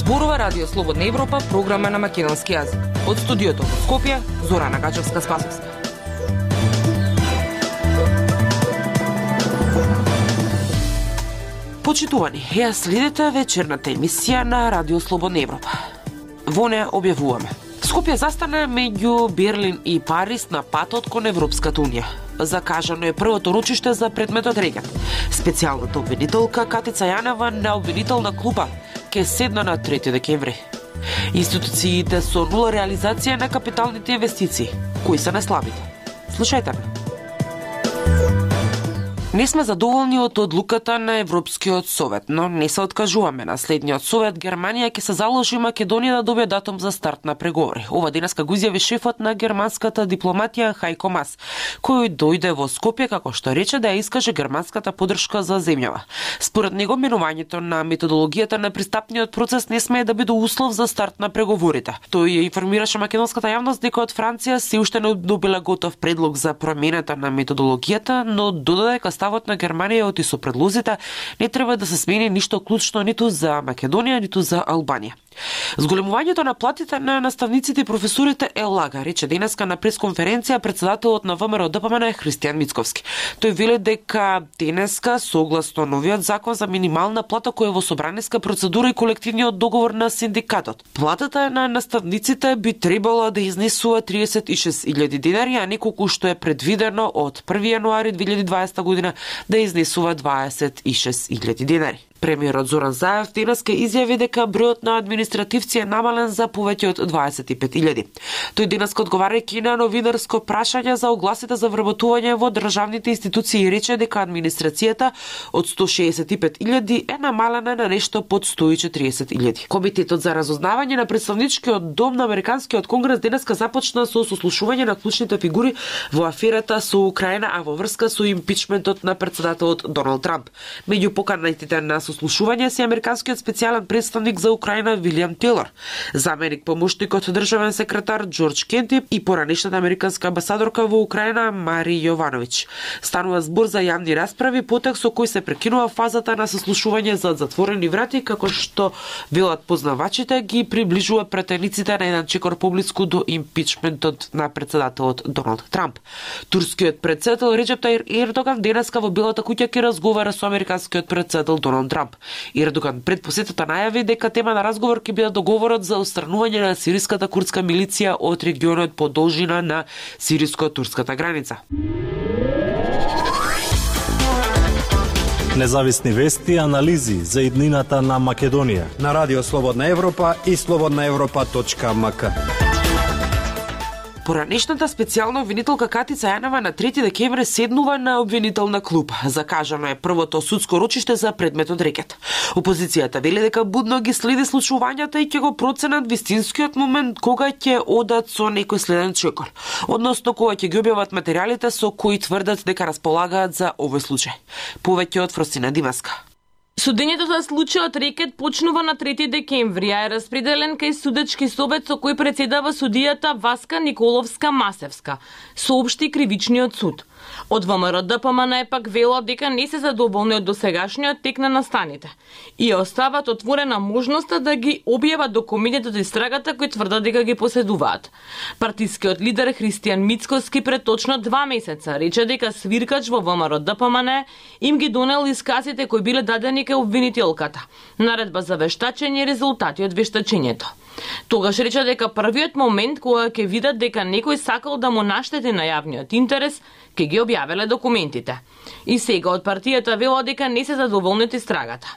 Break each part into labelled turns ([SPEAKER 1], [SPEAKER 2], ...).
[SPEAKER 1] Зборува Радио Слободна Европа, програма на македонски јазик. Од студиото во Скопје, Зорана Гачевска-Спасовска. Почитувани, ја следите вечерната емисија на Радио Слободна Европа. Во неја објавуваме: Скопје застана меѓу Берлин и Париз на патот кон Европската унија. Закажано е првото ручиште за предметот рекет. Специјалната обвинителка Катица Јанева на обвинителна клупа ке седна на 3 декември. Институциите со нула реализација на капиталните инвестиции. Кои се најслабите? Слушајте ме. Не сме задоволни од одлуката на Европскиот совет, но не се откажуваме. На следниот совет Германија ќе се заложи Македонија да добие датум за старт на преговори. Ова денеска го изјави шефот на германската дипломатија Хајко Мас, кој дојде во Скопје како што рече да ја искаже германската поддршка за земјава. Според него менувањето на методологијата на пристапниот процес не смее да биде услов за старт на преговорите. Тој ја информираше македонската јавност дека од Франција се уште не добила готов предлог за промената на методологијата, но додаде дека ставот на Германија оти со предлозите не треба да се смени ништо клучно ниту за Македонија, ниту за Албанија. Зголемувањето на платите на наставниците и професорите е лага, рече денеска на пресконференција председателот на ВМРО ДПМН Христијан Мицковски. Тој вели дека денеска, согласно новиот закон за минимална плата која е во собраниска процедура и колективниот договор на синдикатот, платата на наставниците би требало да изнесува 36.000 денари, а не колку што е предвидено од 1 јануари 2020 година да изнесува 26.000 денари. Премиерот Зоран Заев денеска изјави дека бројот на административци е намален за повеќе од 25.000. Тој денеска одговарајќи на новинарско прашање за огласите за вработување во државните институции рече дека администрацијата од 165.000 е намалена на нешто под 140.000. Комитетот за разузнавање на представничкиот дом на Американскиот конгрес денеска започна со сослушување на клучните фигури во аферата со Украина, а во врска со импичментот на председателот Доналд Трамп. Меѓу поканетите на сослушување се американскиот специјален представник за Украина Вилијам Тейлор, заменик помошникот државен секретар Џорџ Кенти и поранешната американска амбасадорка во Украина Мари Јовановиќ. Станува збор за јавни расправи, потек со кој се прекинува фазата на сослушување за затворени врати, како што велат познавачите ги приближува претениците на еден чекор поблиску до импичментот на председателот Доналд Трамп. Турскиот председател Реџеп Тајип Ердоган денеска во Белата куќа ќе разговара со американскиот председател Доналд Трамп. Ердоган пред посетата најави дека тема на разговор ќе биде договорот за отстранување на сириската курдска милиција од регионот по должина на сириско-турската граница.
[SPEAKER 2] Независни вести и анализи за иднината на Македонија
[SPEAKER 3] на Радио Слободна Европа и slobodnaevropa.mk.
[SPEAKER 1] Поранешната специјална обвинителка Катица Јанева на 3 декември седнува на обвинителна клуп. Закажано е првото судско ручиште за предметот рекет. Опозицијата вели дека будно ги следи случувањата и ќе го проценат вистинскиот момент кога ќе одат со некој следен чекор, односно кога ќе ги објават материјалите со кои тврдат дека располагаат за овој случај. Повеќе од Фросина Димаска.
[SPEAKER 4] Судењето за случајот рекет почнува на 3 декември, а е распределен кај судечки совет со кој претседава судијата Васка Николовска-Масевска, соопшти кривичниот суд. Од ВМРО ДПМН пак велат дека не се задоволни од досегашниот тек на настаните и остават отворена можноста да ги објават документите од истрагата кои тврдат дека ги поседуваат. Партискиот лидер Христијан Мицковски пред точно 2 месеца рече дека свиркач во ВМРО ДПМН им ги донел исказите кои биле дадени кај обвинителката, наредба за вештачење и резултати од вештачењето. Тогаш рече дека првиот момент кога ќе видат дека некој сакал да му наштети на јавниот интерес, ќе ги објавеле документите. И сега од партијата велат дека не се задоволни од истрагата.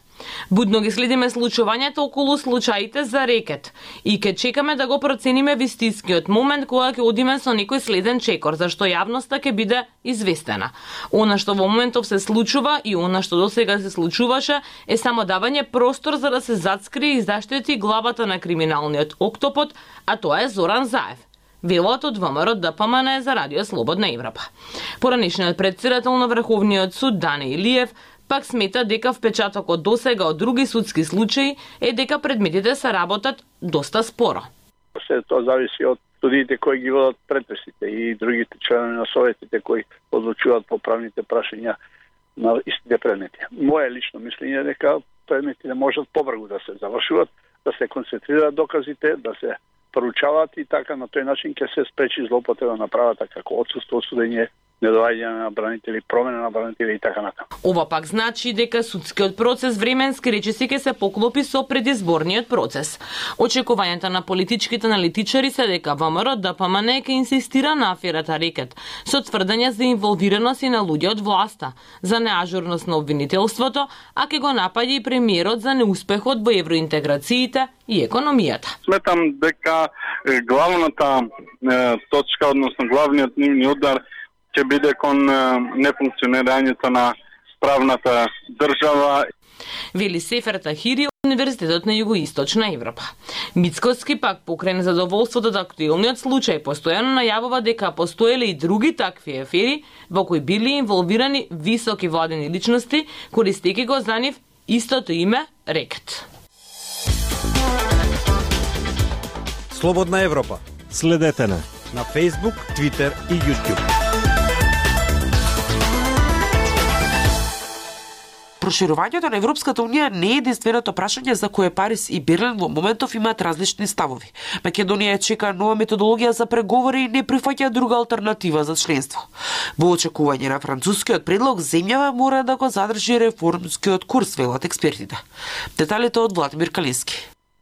[SPEAKER 4] Будно ги следиме случувањето околу случаите за рекет и ќе чекаме да го процениме вистинскиот момент кога ќе одиме со некој следен чекор, зашто јавноста ќе биде известена. Она што во моментов се случува и она што досега се случуваше е само давање простор за да се зацкрие и заштити главата на криминалниот октопод, а тоа е Зоран Заев. Велат од ВМРО ДПМН за Радио Слободна Европа. Поранешниот председател на Врховниот суд Дани Илиев пак смета дека впечатокот досега од други судски случаи е дека предметите се работат доста споро.
[SPEAKER 5] Се тоа зависи од судиите кои ги водат претписите и другите членови на советите кои одлучуваат по правните прашања на истите предмети. Моје лично мислење е дека предметите можат побрзо да се завршуваат, да се концентрираат доказите, да се проучаваат и така на тој начин ќе се спречи злоупотреба на правата како отсуство од судење, недоаѓање на бранители, промена на бранители и така натаму.
[SPEAKER 4] Ова пак значи дека судскиот процес временски речиси ќе се поклопи со предизборниот процес. Очекувањата на политичките аналитичари се дека ВМРО ДПМН ќе инсистира на аферата Рекет, со тврдење за инволвираност и на луѓе од власта, за неажурност на обвинителството, а ќе го напаѓа и премиерот за неуспехот во евроинтеграциите и економијата.
[SPEAKER 6] Сметам дека главната точка, односно главниот нивни удар ќе биде кон нефункционирањето на правната држава.
[SPEAKER 4] Вели Сефер Тахири од Универзитетот на Југоисточна Европа. Мицкоски пак покрај незадоволството од актуелниот случај постојано најавува дека постоеле и други такви афери во кои били инволвирани високи владени личности, користејќи го за нив истото име Рекет.
[SPEAKER 3] Слободна Европа.
[SPEAKER 2] Следете на
[SPEAKER 3] Facebook, Twitter и YouTube.
[SPEAKER 1] Проширувањето на Европската унија не е единственото прашање за кое Париз и Берлин во моментов имаат различни ставови. Македонија чека нова методологија за преговори и не прифаќа друга алтернатива за членство. Во очекување на францускиот предлог, земјава мора да го задржи реформскиот курс, велат експертите. Деталите од Владимир Калински.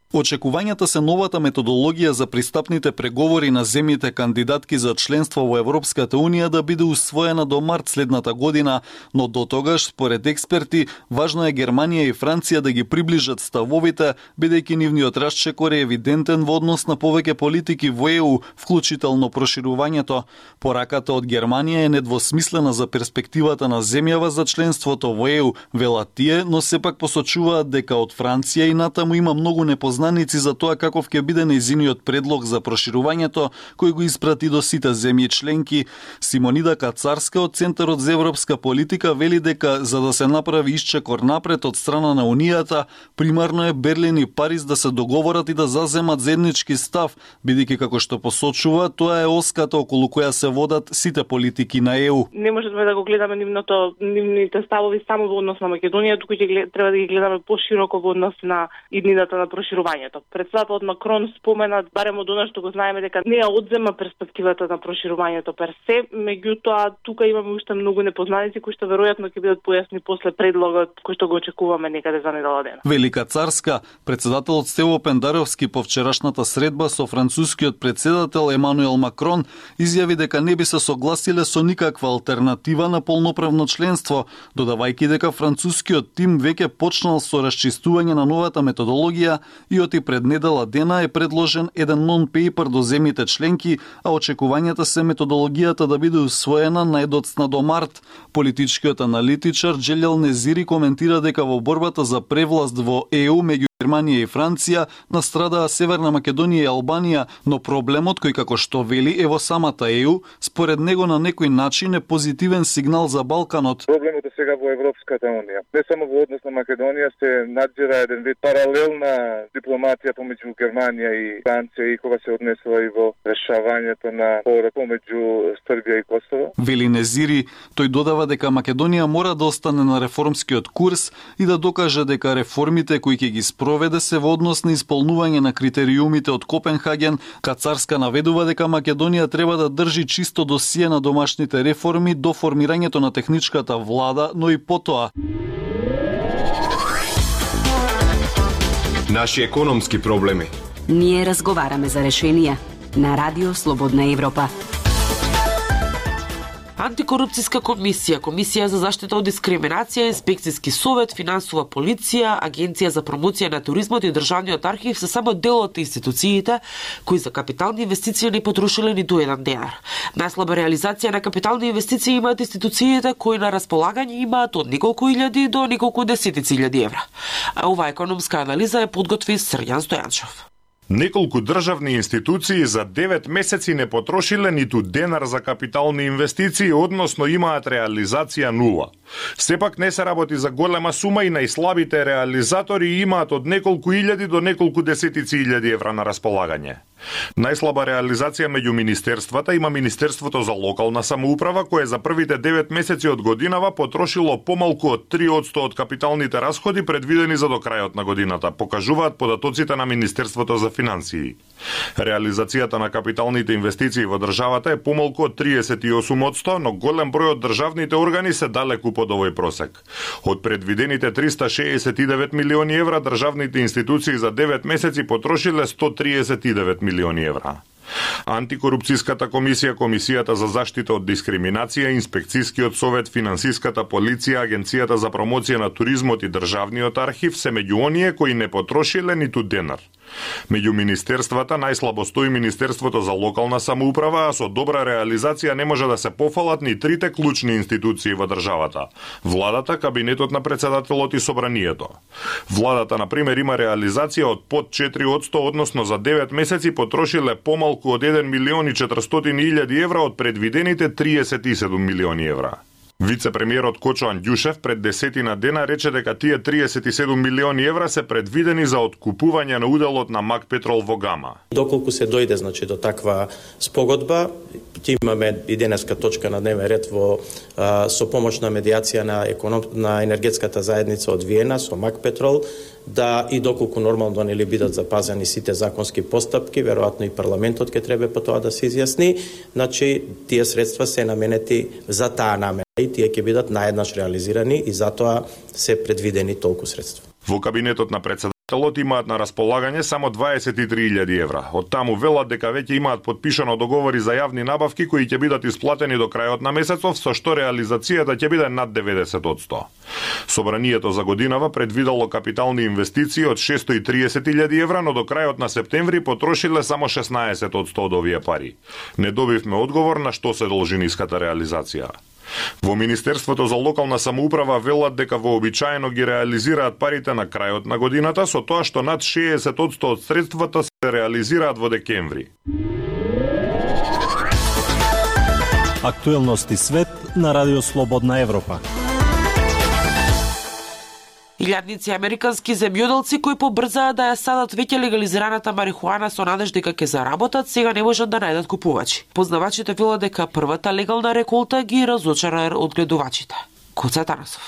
[SPEAKER 7] Очекувањата се новата методологија за пристапните преговори на земјите кандидатки за членство во Европската Унија да биде усвоена до март следната година, но до тогаш, според експерти, важно е Германија и Франција да ги приближат ставовите, бидејќи нивниот расчекор е евидентен во однос на повеќе политики во ЕУ, вклучително проширувањето. Пораката од Германија е недвосмислена за перспективата на земјава за членството во ЕУ, велат тие, но сепак посочуваат дека од Франција и натаму има многу непознаници за тоа каков ќе биде нејзиниот предлог за проширувањето, кој го испрати до сите земји членки. Симонида Кацарска од Центарот за европска политика вели дека за да се направи исчекор напред од страна на Унијата, примарно е Берлин и Париз да се договорат и да заземат заеднички став, бидејќи како што посочува, тоа е оската околу која се водат сите политики на ЕУ.
[SPEAKER 8] Не можеме да го гледаме нивните ставови само во однос на Македонија, туку треба да ги гледаме пошироко во однос на иднината на проширувањето. Претседателот Макрон спомена, барем од она што го знаеме, дека не ја одзема перспективата на проширувањето пер се, меѓутоа тука имаме уште многу непознаници кои што веројатно ќе бидат појасни после предлогот кој што го очекуваме некаде за недела дена.
[SPEAKER 7] Велика Царска, претседателот Стево Пендаровски по вчерашната средба со францускиот претседател Емануел Макрон изјави дека не би се согласиле со никаква алтернатива на полноправно членство, додавајќи дека францускиот тим веќе почнал со расчистување на новата методологија и оти пред недела дена е предложен еден нон-пейпер до земјите членки, а очекувањата се методологијата да биде усвоена најдоцна до март. Политичкиот аналитичар Джелел Незири коментира дека во борбата за превласт во ЕУ меѓу Германија и Франција настрадаа Северна Македонија и Албанија, но проблемот кој како што вели е во самата ЕУ, според него на некој начин е позитивен сигнал за Балканот.
[SPEAKER 6] Проблемот е сега во Европската унија. Не само во однос на Македонија се надзира еден вид паралелна дипломатија помеѓу Германија и Франција и кога се однесува и во решавањето на спорот помеѓу Србија и Косово.
[SPEAKER 7] Вели Незири, тој додава дека Македонија мора да остане на реформскиот курс и да докаже дека реформите кои ќе ги проведе се во однос на исполнување на критериумите од Копенхаген. Кацарска наведува дека Македонија треба да држи чисто досие на домашните реформи до формирањето на техничката влада, но и потоа.
[SPEAKER 9] Наши економски проблеми.
[SPEAKER 10] Ние разговараме за решенија на Радио Слободна Европа.
[SPEAKER 1] Антикорупцијска комисија, Комисија за заштита од дискриминација, Инспекцијски совет, Финансова полиција, Агенција за промоција на туризмот и Државниот архив се само дел од институциите кои за капитални инвестиции не потрошиле ниту еден денар. Најслаба реализација на капитални инвестиции имаат институциите кои на располагање имаат од неколку илјади до неколку десетици илјади евра. А оваа економска анализа е подготви Срѓан Стојанчов.
[SPEAKER 11] Неколку државни институции за 9 месеци не потрошиле ниту денар за капитални инвестиции, односно имаат реализација нула. Сепак не се работи за голема сума и најслабите реализатори имаат од неколку илјади до неколку десетици илјади евра на располагање. Најслаба реализација меѓу министерствата има Министерството за локална самоуправа, кое за првите 9 месеци од годинава потрошило помалку од 3% од капиталните расходи предвидени за до крајот на годината, покажуваат податоците на Министерството за финансии. Реализацијата на капиталните инвестиции во државата е помалку од 38%, но голем број од државните органи се далеку под овој просек. Од предвидените 369 милиони евра, државните институции за 9 месеци потрошиле 139 милиони евра. Антикорупцијската комисија, Комисијата за заштита од дискриминација, Инспекцијскиот совет, Финансиската полиција, Агенцијата за промоција на туризмот и Државниот архив се меѓу оние кои не потрошиле ниту денар. Меѓу министерствата најслабо стои Министерството за локална самоуправа, а со добра реализација не може да се пофалат ни трите клучни институции во државата: владата, кабинетот на председателот и собранието. Владата, на пример, има реализација од под 4%, односно за 9 месеци потрошиле помалку од 1 милион и 400.000 евра од предвидените 37 милиони евра. Вице-премиерот Кочо Андјушев пред 10 дена рече дека тие 37 милиони евра се предвидени за откупување на уделот на МАК Петрол во Гама.
[SPEAKER 9] Доколку се дојде до таква спогодба, имаме и денеска точка на дневен ред со помош на медијација на енергетската заедница од Виена со МАК Петрол, да и доколку нормално нели бидат запазени сите законски постапки, веројатно и парламентот ќе треба по тоа да се изјасни, значи тие средства се наменети за таа намена и тие ќе бидат наеднаш реализирани и затоа се предвидени толку средства.
[SPEAKER 11] Во кабинетот на председателот имаат на располагање само 23.000 евра. Од таму велат дека веќе имаат подпишано договори за јавни набавки кои ќе бидат исплатени до крајот на месецов, со што реализацијата ќе биде над 90%. Собранието за годинава предвидало капитални инвестиции од 630.000 евра, но до крајот на септември потрошиле само 16% од овие пари. Не добивме одговор на што се должи ниската реализација. Во Министерството за локална самоуправа велат дека вообичаено ги реализираат парите на крајот на годината, со тоа што над 60% од средствата се реализираат во декември.
[SPEAKER 2] Актуелности свет на Радио Слободна Европа.
[SPEAKER 1] Илјадници американски земјоделци кои побрзаа да ја садат веќе легализираната марихуана со надеж дека ќе заработат, сега не можат да најдат купувачи. Познавачите велат дека првата легална реколта ги разочара одгледувачите. Коца Танасов.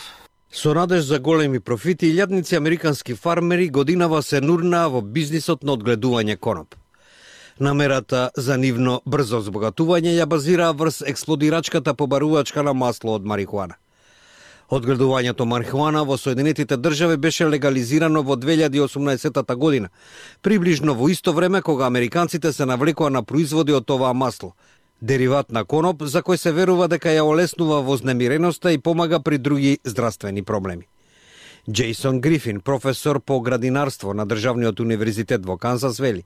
[SPEAKER 3] Со надеж за големи профити, илјадници американски фармери годинава се нурнаа во бизнисот на одгледување коноп. Намерата за нивно брзо збогатување ја базираа врз експлодирачката побарувачка на масло од марихуана. Одгледувањето марихуана во Соединетите држави беше легализирано во 2018 година, приближно во исто време кога американците се навлекоа на производи од оваа масло, дериват на коноп за кој се верува дека ја олеснува вознемиреноста и помага при други здравствени проблеми. Джейсон Грифин, професор по градинарство на Државниот универзитет во Канзас, вели: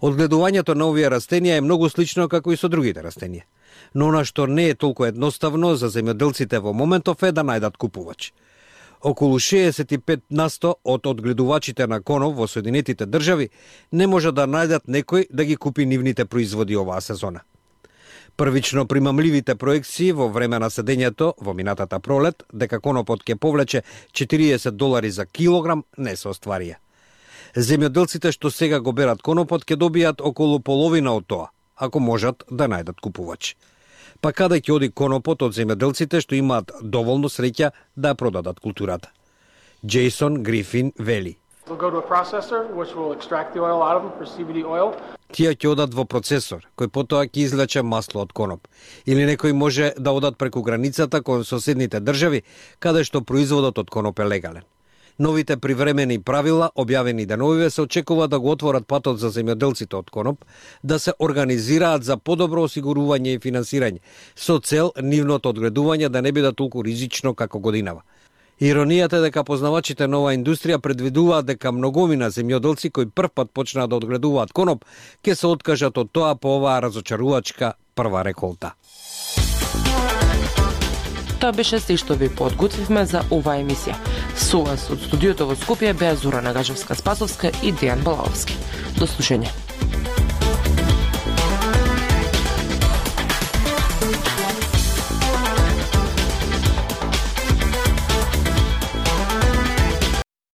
[SPEAKER 3] одгледувањето на овие растенија е многу слично како и со другите растенија. Но она што не е толку едноставно за земјоделците во моментов е да најдат купувач. Околу 65% од одгледувачите на коноп во Соединетите држави не може да најдат некој да ги купи нивните производи оваа сезона. Првично примамливите проекции во време на седењето во минатата пролет дека конопот ќе повлече $40 за килограм не се остварија. Земјоделците што сега го берат конопот ќе добијат околу половина од тоа, ако можат да најдат купувач. Па каде ќе оди конопот од земјоделците што имаат доволно среќа да продадат културата? Джейсон Грифин вели: тие ќе одат во процесор, кој потоа ќе извлече масло од коноп. Или некој може да одат преку границата кон соседните држави, каде што производот од коноп е легален. Новите привремени правила, објавени деновиве, се очекува да го отворат патот за земјоделците од коноп, да се организираат за подобро осигурување и финансирање, со цел нивното одгледување да не биде толку ризично како годинава. Иронијата е дека познавачите на оваа индустрија предвидуваат дека многумина земјоделци кои првпат почнаа да одгледуваат коноп, ќе се откажат од тоа по оваа разочарувачка прва реколта.
[SPEAKER 1] Тоа беше се што ви подготвивме за оваа емисија. Со вас од студиото во Скопје беа Зора Нагажевска-Спасовска и Дејан Балаовски. До слушање.